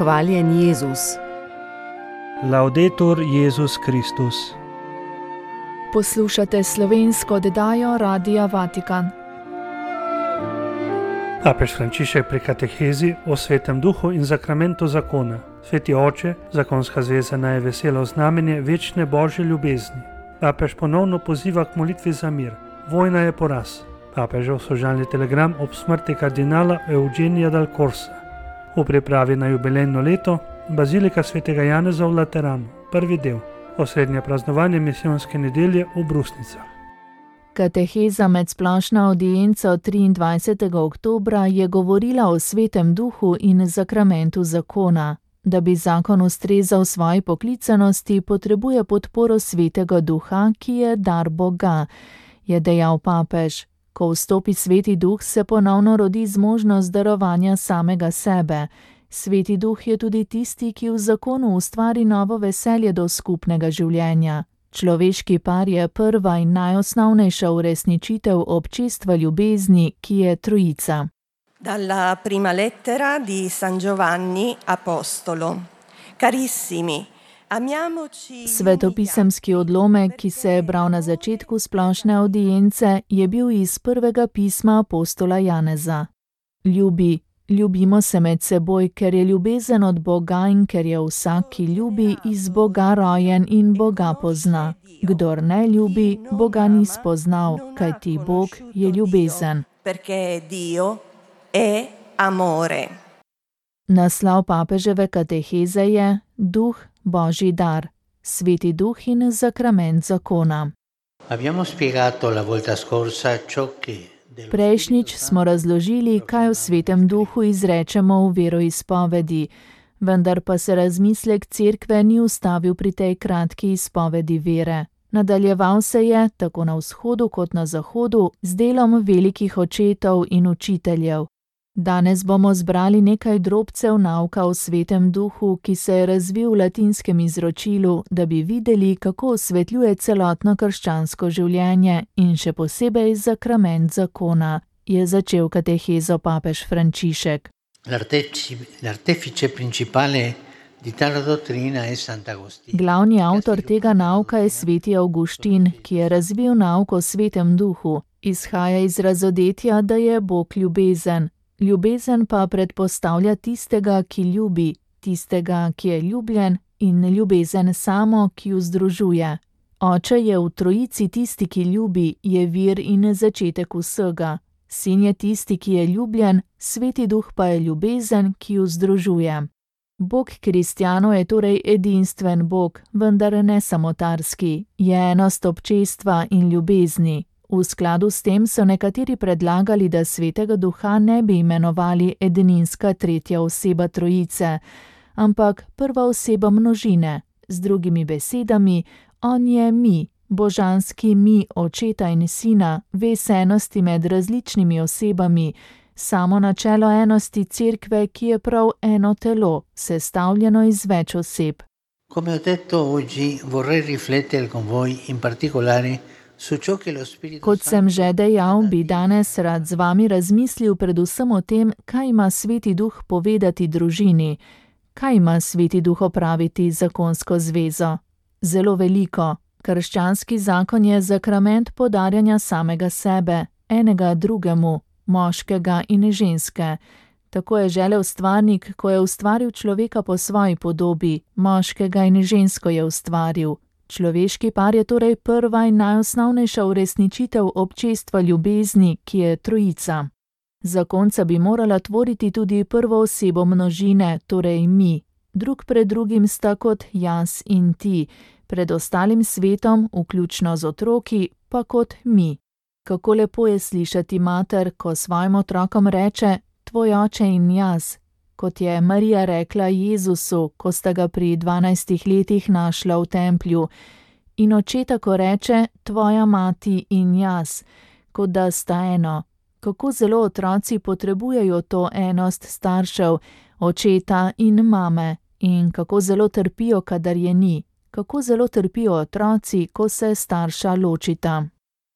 Hvaljen Jezus. Laudetur Jezus Kristus. Poslušate slovensko oddajo Radia Vatikan. Papež Frančišek pri katehezi o Svetem Duhu in zakramentu zakona. Sveti oče, zakonska zveza naj je veselo znamenje večne božje ljubezni. Papež ponovno poziva k molitvi za mir. Vojna je poraz. Papežev sožalni telegram ob smrti kardinala Eugenija dal Corsa. V pripravi na jubilejno leto Bazilika svetega Janeza v Lateranu, prvi del, osrednje praznovanje misijonske nedelje v Brusnicah. Kateheza med splošno avdienco 23. oktobra je govorila o Svetem Duhu in zakramentu zakona. Da bi zakon ustrezal svoji poklicanosti, potrebuje podporo Svetega Duha, ki je dar Boga, je dejal papež. Ko vstopi Sveti Duh, se ponovno rodi zmožnost darovanja samega sebe. Sveti Duh je tudi tisti, ki v zakonu ustvari novo veselje do skupnega življenja. Človeški par je prva in najosnovnejša uresničitev občestva ljubezni, ki je trojica. Dalla prima lettera di San Giovanni Apostolo. Carissimi, amiamoci. Svetopisemski odlomek, ki se je bral na začetku splošne avdience, je bil iz prvega pisma apostola Janeza. Ljubimo se med seboj, ker je ljubezen od Boga in ker je vsak, ki ljubi, iz Boga rojen in Boga pozna. Kdor ne ljubi, Boga ni spoznal, kajti Bog je ljubezen. Perché Dio è amore. Naslov papeževe kateheze je Duh, Božji dar, Sveti Duh in zakrament zakona. Abbiamo spiegato la volta scorsa ciò che Prejšnjič smo razložili, kaj v Svetem Duhu izrečemo v veroizpovedi, vendar pa se razmislek cerkve ni ustavil pri tej kratki izpovedi vere. Nadaljeval se je, tako na vzhodu kot na zahodu, z delom velikih očetov in učiteljev. Danes bomo zbrali nekaj drobcev nauka o Svetem Duhu, ki se je razvil v latinskem izročilu, da bi videli, kako osvetljuje celotno krščansko življenje in še posebej zakrament zakona, je začel katehezo papež Frančišek. L'artefice principale di tale dottrina è Sant'Agostino. Glavni avtor tega nauka je sveti Avguštin, ki je razvil nauk o Svetem Duhu. Izhaja iz razodetja, da je Bog ljubezen. Ljubezen pa predpostavlja tistega, ki ljubi, tistega, ki je ljubljen, in ljubezen samo, ki jo združuje. Oče je v trojici tisti, ki ljubi, je vir in začetek vsega. Sin je tisti, ki je ljubljen, Sveti Duh pa je ljubezen, ki jo združuje. Bog kristjanov je torej edinstven Bog, vendar ne samotarski, je enost občestva in ljubezni. V skladu s tem so nekateri predlagali, da Svetega Duha ne bi imenovali edinska tretja oseba trojice, ampak prva oseba množine. Z drugimi besedami, on je mi, božanski mi očeta in sina, vez enosti med različnimi osebami, samo načelo enosti cerkve, ki je prav eno telo, sestavljeno iz več oseb. Come ho detto oggi, vorrei riflettere con voi in particolare. Kot sem že dejal, bi danes rad z vami razmislil predvsem o tem, kaj ima Sveti Duh povedati družini, kaj ima Sveti Duh opraviti zakonsko zvezo. Zelo veliko. Krščanski zakon je zakrament podarjanja samega sebe, enega drugemu, moškega in ženske. Tako je želel stvarnik, ko je ustvaril človeka po svoji podobi, moškega in žensko je ustvaril. Človeški par je torej prva in najosnovnejša uresničitev občestva ljubezni, ki je trojica. Zakonca bi morala tvoriti tudi prvo osebo množine, torej mi. Drug pred drugim sta kot jaz in ti, pred ostalim svetom, vključno z otroki, pa kot mi. Kako lepo je slišati mater, ko svojim otrokom reče, tvoj oče in jaz, kot je Marija rekla Jezusu, ko sta ga pri 12 letih našla v templju, in očeta, ko reče, tvoja mati in jaz, kot da sta eno. Kako zelo otroci potrebujejo to enost staršev, očeta in mame, in kako zelo trpijo, kadar je ni, kako zelo trpijo otroci, ko se starša ločita.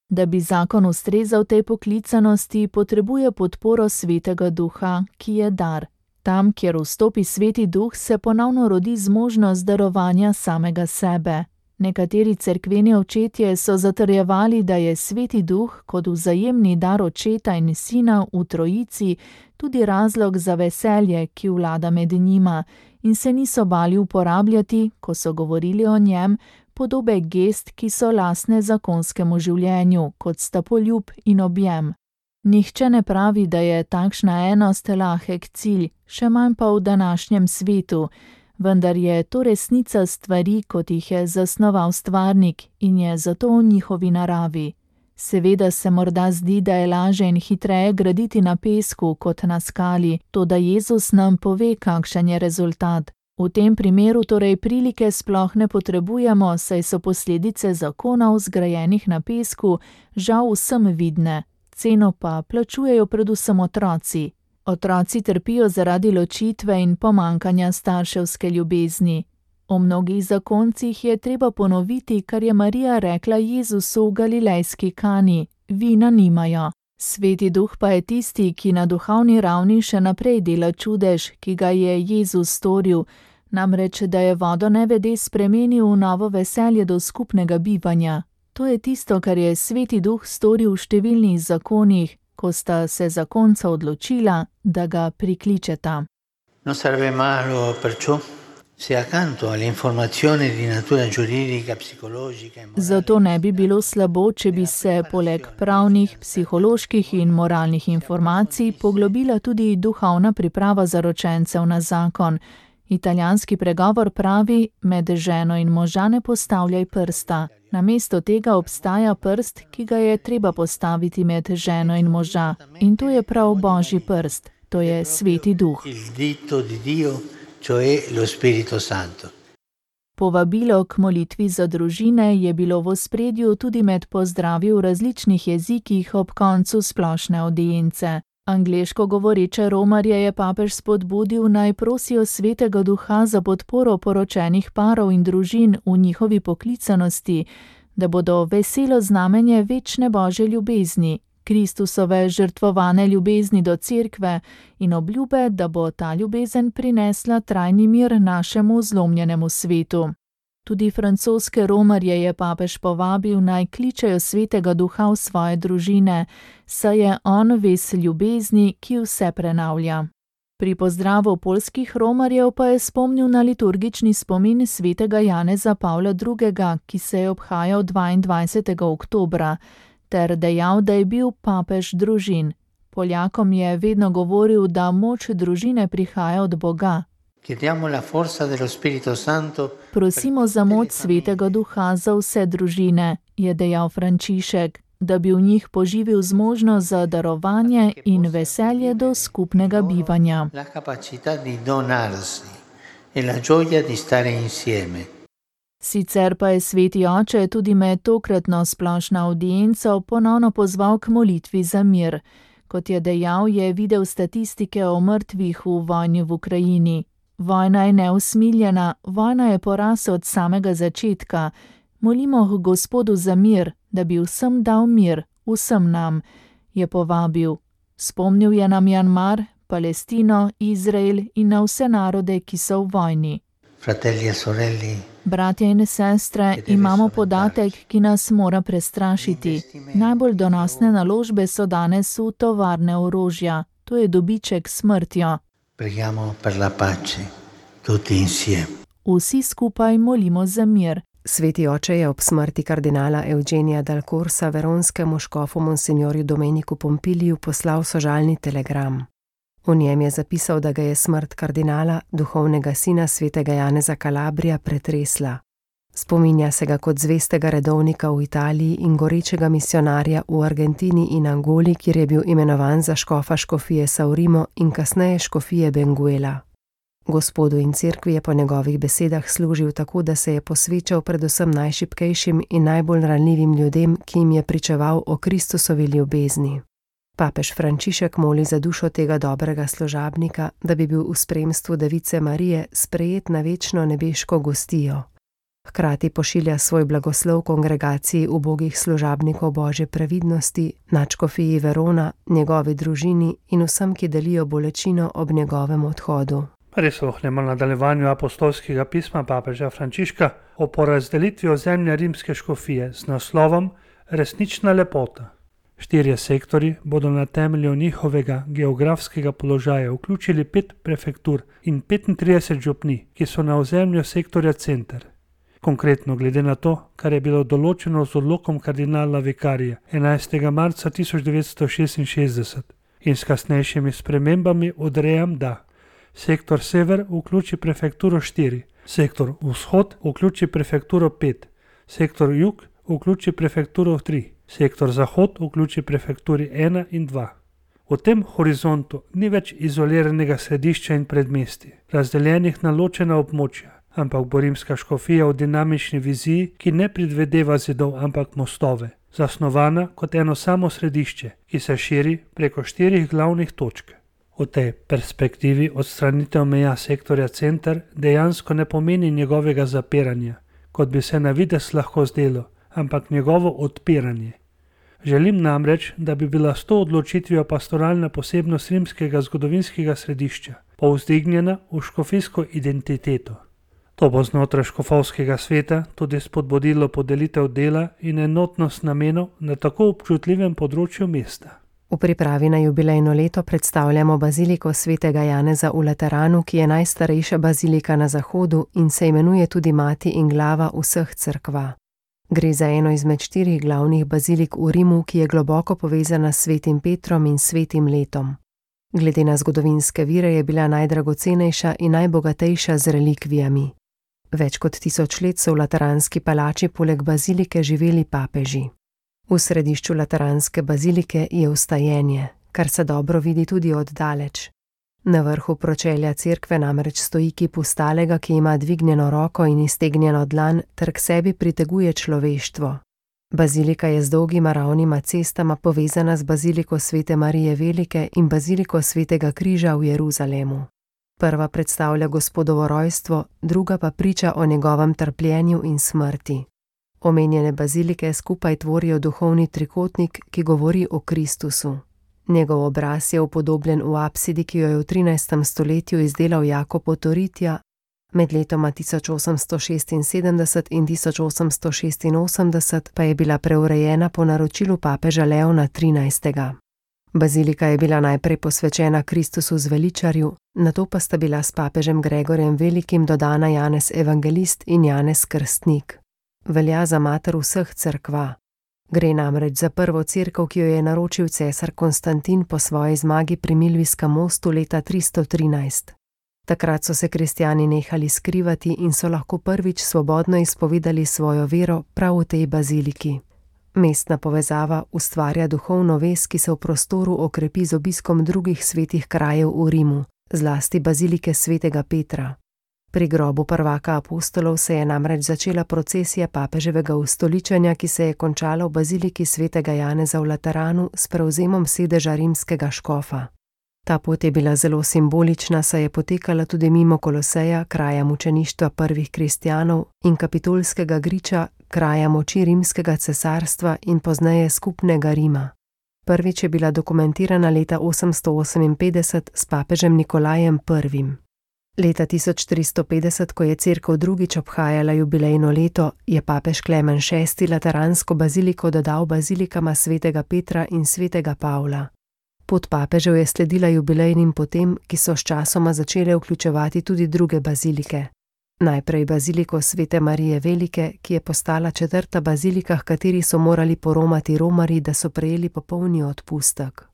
Da bi zakon ustrezal tej poklicanosti, potrebuje podporo Svetega Duha, ki je dar. Tam, kjer vstopi Sveti Duh, se ponovno rodi zmožnost darovanja samega sebe. Nekateri cerkveni očetje so zatrjevali, da je Sveti Duh kot vzajemni dar Očeta in Sina v Trojici tudi razlog za veselje, ki vlada med njima, in se niso bali uporabljati, ko so govorili o njem, podobe gest, ki so lastne zakonskemu življenju, kot sta poljub in objem. Nihče ne pravi, da je takšna enost lahek cilj, še manj pa v današnjem svetu, vendar je to resnica stvari, kot jih je zasnoval stvarnik in je zato v njihovi naravi. Seveda se morda zdi, da je lažje in hitreje graditi na pesku kot na skali, toda Jezus nam pove, kakšen je rezultat. V tem primeru torej prilike sploh ne potrebujemo, saj so posledice zakonov zgrajenih na pesku žal vsem vidne, ceno pa plačujejo predvsem otroci. Otroci trpijo zaradi ločitve in pomankanja starševske ljubezni. O mnogih zakoncih je treba ponoviti, kar je Marija rekla Jezusu v galilejski Kani: vina nimajo. Sveti Duh pa je tisti, ki na duhovni ravni še naprej dela čudež, ki ga je Jezus storil, namreč da je vodo nevede spremenil v novo veselje do skupnega bivanja. To je tisto, kar je Sveti Duh storil v številnih zakonih, ko sta se zakonca odločila, da ga prikličeta. Non sarebbe malo perciò se accanto alle informazioni di natura giuridica, psicologica e morale. Zato ne bi bilo slabo, če bi se poleg pravnih, psiholoških in moralnih informacij poglobila tudi duhovna priprava zaročencev na zakon. Italijanski pregovor pravi: med ženo in moža ne postavljaj prsta. Namesto tega obstaja prst, ki ga je treba postaviti med ženo in moža. In to je prav Božji prst, to je Sveti Duh. Il dito di Dio, cioè lo Spirito Santo. Povabilo k molitvi za družine je bilo v ospredju tudi med pozdravi v različnih jezikih ob koncu splošne audience. Angleško govoreče romarje je papež spodbudil, naj prosijo Svetega Duha za podporo poročenih parov in družin v njihovi poklicanosti, da bodo veselo znamenje večne Božje ljubezni, Kristusove žrtvovane ljubezni do Cerkve in obljube, da bo ta ljubezen prinesla trajni mir našemu zlomljenemu svetu. Tudi francoske romarje je papež povabil, naj kličejo Svetega Duha v svoje družine, saj je on ves ljubezni, ki vse prenavlja. Pri pozdravu poljskih romarjev pa je spomnil na liturgični spomin svetega Janeza Pavla II., ki se je obhajal 22. oktobra, ter dejal, da je bil papež družin. Poljakom je vedno govoril, da moč družine prihaja od Boga. Prosimo za moč Svetega Duha za vse družine, je dejal Frančišek, da bi v njih poživil zmožnost za darovanje in veselje do skupnega bivanja. Sicer pa je Sveti Oče tudi med tokratno splošno audienco ponovno pozval k molitvi za mir. Kot je dejal, je videl statistike o mrtvih v vojni v Ukrajini. Vojna je neusmiljena, vojna je poraz od samega začetka. Molimo k Gospodu za mir, da bi vsem dal mir, vsem nam, je povabil. Spomnil je na Mjanmar, Palestino, Izrael in na vse narode, ki so v vojni. Fratelli e sorelle, Bratje in sestre, imamo podatek, ki nas mora prestrašiti. Najbolj donosne naložbe so danes v tovarne orožja. To je dobiček s smrtjo. preghiamo per la pace, tutti insieme. Vsi skupaj molimo za mir. Sveti oče je ob smrti kardinala Eugenija Dal Corsa veronskemu škofu monsignorju Domeniku Pompiliju poslal sožalni telegram. V njem je zapisal, da ga je smrt kardinala, duhovnega sina svetega Janeza Calabrija, pretresla. Spominja se ga kot zvestega redovnika v Italiji in gorečega misionarja v Argentini in Angoli, kjer je bil imenovan za škofa škofije Saurimo in kasneje škofije Benguela. Gospodu in cerkvi je po njegovih besedah služil tako, da se je posvečal predvsem najšibkejšim in najbolj ranljivim ljudem, ki jim je pričeval o Kristusovi ljubezni. Papež Frančišek moli za dušo tega dobrega služabnika, da bi bil v spremstvu Device Marije sprejet na večno nebeško gostijo. Hkrati pošilja svoj blagoslov kongregaciji ubogih služabnikov Božje previdnosti, nadškofiji Verona, njegovi družini in vsem, ki delijo bolečino ob njegovem odhodu. Prisluhnemo nadaljevanju apostolskega pisma papeža Frančiška o porazdelitvi ozemlja rimske škofije z naslovom Resnična lepota. 4 sektorji bodo na temelju njihovega geografskega položaja vključili 5 prefektur in 35 župnij, ki so na ozemlju sektorja center. Konkretno glede na to, kar je bilo določeno z odlokom kardinala vikarija 11. marca 1966 in s kasnejšimi spremembami odrejam, da sektor sever vključi prefekturo 4, sektor vzhod vključi prefekturo 5, sektor jug vključi prefekturo 3, sektor zahod vključi prefekturi 1 in 2. V tem horizontu ni več izoliranega središča in predmestij, razdeljenih na ločena območja, ampak bo rimska škofija v dinamični viziji, ki ne predvideva zidov, ampak mostove, zasnovana kot eno samo središče, ki se širi preko 4 glavnih točk. V tej perspektivi odstranitev meja sektorja center dejansko ne pomeni njegovega zapiranja, kot bi se na videz lahko zdelo, ampak njegovo odpiranje. Želim namreč, da bi bila s to odločitvijo pastoralna posebnost rimskega zgodovinskega središča povzdignjena v škofijsko identiteto. To bo znotraj škofovskega sveta tudi spodbudilo podelitev dela in enotnost namenov na tako občutljivem področju mesta. V pripravi na jubilejno leto predstavljamo baziliko svetega Janeza v Lateranu, ki je najstarejša bazilika na zahodu in se imenuje tudi mati in glava vseh cerkva. Gre za eno izmed 4 glavnih bazilik v Rimu, ki je globoko povezana s svetim Petrom in svetim letom. Glede na zgodovinske vire je bila najdragocenejša in najbogatejša z relikvijami. Več kot 1000 let so v lateranski palači poleg bazilike živeli papeži. V središču lateranske bazilike je vstajenje, kar se dobro vidi tudi od daleč. Na vrhu pročelja cerkve namreč stoji kip vstalega, ki ima dvignjeno roko in iztegnjeno dlan ter k sebi priteguje človeštvo. Bazilika je z dolgima ravnima cestama povezana z baziliko svete Marije Velike in baziliko svetega križa v Jeruzalemu. Prva predstavlja Gospodovo rojstvo, druga pa priča o njegovem trpljenju in smrti. Omenjene bazilike skupaj tvorijo duhovni trikotnik, ki govori o Kristusu. Njegov obraz je upodobljen v apsidi, ki jo je v 13. stoletju izdelal Jakob Otoritja, med letoma 1876 in 1886 pa je bila preurejena po naročilu papeža Leona XIII. Bazilika je bila najprej posvečena Kristusu zveličarju, nato pa sta bila s papežem Gregorjem Velikim dodana Janez Evangelist in Janez Krstnik. Velja za mater vseh cerkva. Gre namreč za prvo cerkev, ki jo je naročil cesar Konstantin po svoji zmagi pri Milvijskem mostu leta 313. Takrat so se kristjani nehali skrivati in so lahko prvič svobodno izpovedali svojo vero prav v tej baziliki. Mestna povezava ustvarja duhovno vez, ki se v prostoru okrepi z obiskom drugih svetih krajev v Rimu, zlasti bazilike svetega Petra. Pri grobu prvaka apostolov se je namreč začela procesija papeževega ustoličenja, ki se je končala v baziliki svetega Janeza v Lateranu s prevzemom sedeža rimskega škofa. Ta pot je bila zelo simbolična, saj je potekala tudi mimo Koloseja, kraja mučeništva prvih kristjanov, in Kapitolskega griča, kraja moči rimskega cesarstva in pozneje skupnega Rima. Prvič je bila dokumentirana leta 858 s papežem Nikolajem I. Leta 1450, ko je cerkev drugič obhajala jubilejno leto, je papež Klemen VI lateransko baziliko dodal bazilikama svetega Petra in svetega Pavla. Pot papežev je sledila jubilejnim potem, ki so sčasoma začele vključevati tudi druge bazilike. Najprej baziliko svete Marije Velike, ki je postala 4. bazilika, h kateri so morali poromati romarji, da so prejeli popolni odpustek.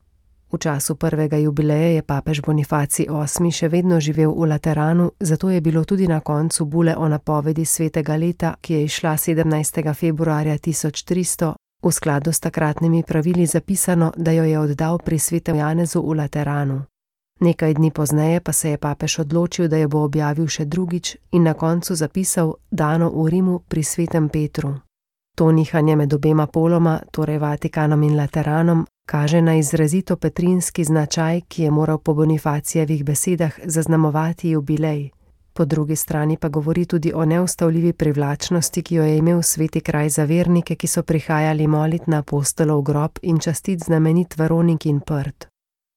V času prvega jubileja je papež Bonifacij VIII še vedno živel v Lateranu, zato je bilo tudi na koncu bule o napovedi svetega leta, ki je izšla 17. februarja 1300, v skladu s takratnimi pravili zapisano, da jo je oddal pri svetem Janezu v Lateranu. Nekaj dni pozneje pa se je papež odločil, da jo bo objavil še drugič in na koncu zapisal dano v Rimu pri svetem Petru. To nihanje med obema poloma, torej Vatikanom in Lateranom, kaže na izrazito petrinski značaj, ki je moral po Bonifacijevih besedah zaznamovati jubilej. Po drugi strani pa govori tudi o neustavljivi privlačnosti, ki jo je imel sveti kraj za vernike, ki so prihajali molit na apostolov grob in častit znamenit Veroniki prt.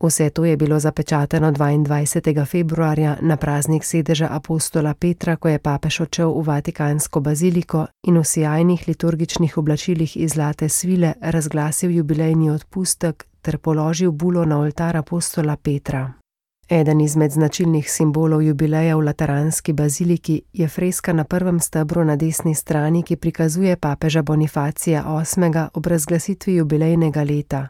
Vse to je bilo zapečateno 22. februarja na praznik sedeža apostola Petra, ko je papež odšel v Vatikansko baziliko in v sijajnih liturgičnih oblačilih iz zlate svile razglasil jubilejni odpustek ter položil bulo na oltar apostola Petra. Eden izmed značilnih simbolov jubileja v Lateranski baziliki je freska na prvem stebru na desni strani, ki prikazuje papeža Bonifacija VIII. Ob razglasitvi jubilejnega leta.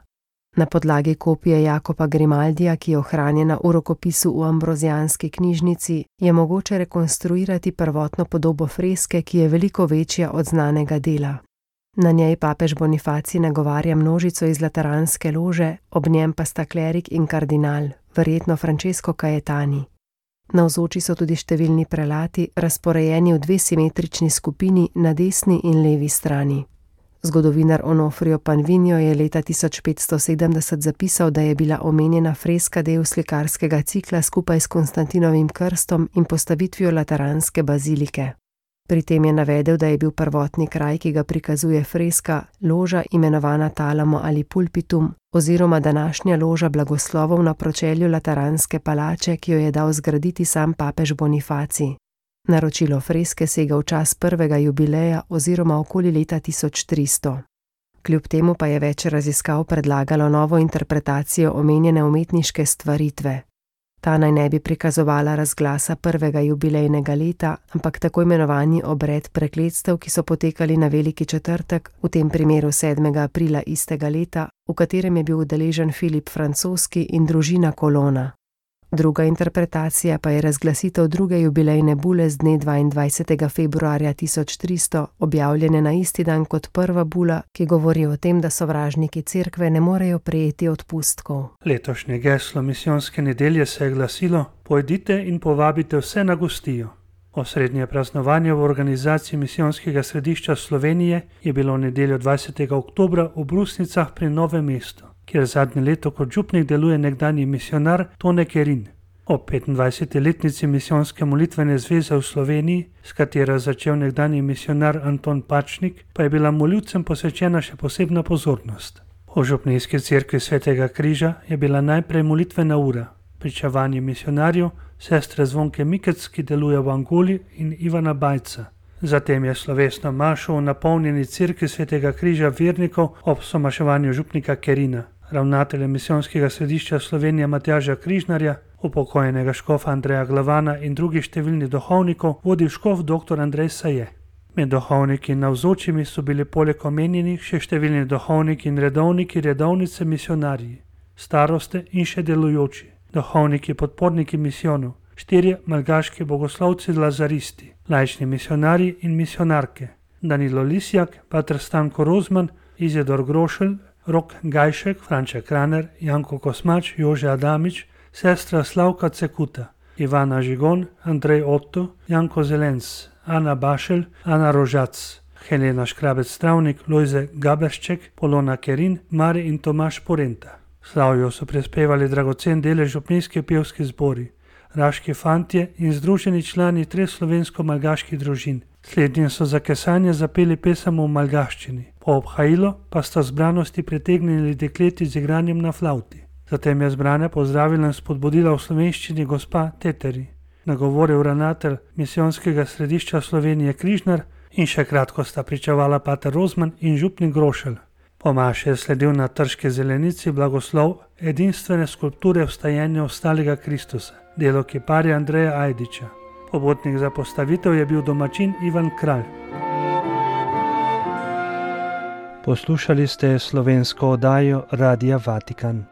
Na podlagi kopije Jakoba Grimaldija, ki je ohranjena v rokopisu v Ambrozijanski knjižnici, je mogoče rekonstruirati prvotno podobo freske, ki je veliko večja od znanega dela. Na njej papež Bonifacij nagovarja množico iz Lateranske lože, ob njem pa sta klerik in kardinal, verjetno Francesco Caetani. Navzoči so tudi številni prelati, razporejeni v dve simetrični skupini na desni in levi strani. Zgodovinar Onofrio Panvinio je leta 1570 zapisal, da je bila omenjena freska del slikarskega cikla skupaj s Konstantinovim krstom in postavitvijo Lateranske bazilike. Pri tem je navedel, da je bil prvotni kraj, ki ga prikazuje freska, loža imenovana Talamo ali Pulpitum oziroma današnja loža blagoslovov na pročelju Lateranske palače, ki jo je dal zgraditi sam papež Bonifacij. Naročilo freske sega v čas prvega jubileja oziroma okoli leta 1300. Kljub temu pa je več raziskav predlagalo novo interpretacijo omenjene umetniške stvaritve. Ta naj ne bi prikazovala razglasa prvega jubilejnega leta, ampak tako imenovani obred prekletstev, ki so potekali na Veliki četrtek, v tem primeru 7. aprila istega leta, v katerem je bil udeležen Filip Francoski in družina Kolona. Druga interpretacija pa je razglasitev druge jubilejne bule z dne 22. februarja 1300, objavljene na isti dan kot prva bula, ki govori o tem, da sovražniki cerkve ne morejo prejeti odpustkov. Letošnje geslo misijonske nedelje se je glasilo: Pojdite in povabite vse na gostijo. Osrednje praznovanje v organizaciji misijonskega središča Slovenije je bilo v nedeljo 20. oktobra v Brusnicah pri Novem mestu, kjer zadnje leto kot župnik deluje nekdanji misionar Tone Kerin. Ob 25. letnici misijonske molitvene zveze v Sloveniji, s katero je začel nekdanji misionar Anton Pačnik, pa je bila moljivcem posvečena še posebna pozornost. V župnijski cerkvi Svetega križa je bila najprej molitvena ura, pričevanje misionarjev, sestre Zvonke Mikec, ki deluje v Angoli, in Ivana Bajca. Zatem je slovesno mašo v napolnjeni cerkvi Svetega križa vernikov ob somaševanju župnika Kerina, ravnatelja misijonskega središča Slovenije Matjaža Križnarja, upokojenega škofa Andreja Glavana in drugih številnih duhovnikov vodil škof dr. Andrej Saje. Med duhovniki in navzočimi so bili poleg omenjenih še številni duhovniki in redovniki, redovnice, misionarji, staroste in še delujoči, duhovniki, podporniki misijonov, 4 malgaški bogoslovci lazaristi, laični misionarji in misionarke, Danilo Lisjak, pater Stanko Rozman, Izidor Grošelj, Rok Gajšek, Franček Kraner, Janko Kosmač, Jože Adamič, sestra Slavka Cekuta, Ivana Žigon, Andrej Otto, Janko Zelenc, Ana Bašelj, Ana Rožac, Helena Škrabec-Travnik, Lojze Gaberšček, Polona Kerin, Mari in Tomaš Porenta. Slavijo so prispevali dragocen delež župnijski pevski zbori, raški fantje in združeni člani 3 slovensko-malgaških družin. Slednjim so za kesanje zapeli pesem v malgaščini, po obhajilo pa sta zbranosti pritegnili dekleti z igranjem na flavti. Zatem je zbrane pozdravila in spodbudila v slovenščini gospa Teteri. Nagovoril ravnatelj misijonskega središča Slovenije Križnar in še kratko sta pričevala pater Rozman in župnik Grošelj. Po maši je sledil na Trški zelenici blagoslov edinstvene skulpture vstajenja ostalega Kristusa, delo kiparja Andreja Ajdiča. Pobotnik za postavitev je bil domačin Ivan Kralj. Poslušali ste slovensko oddajo Radia Vatikan.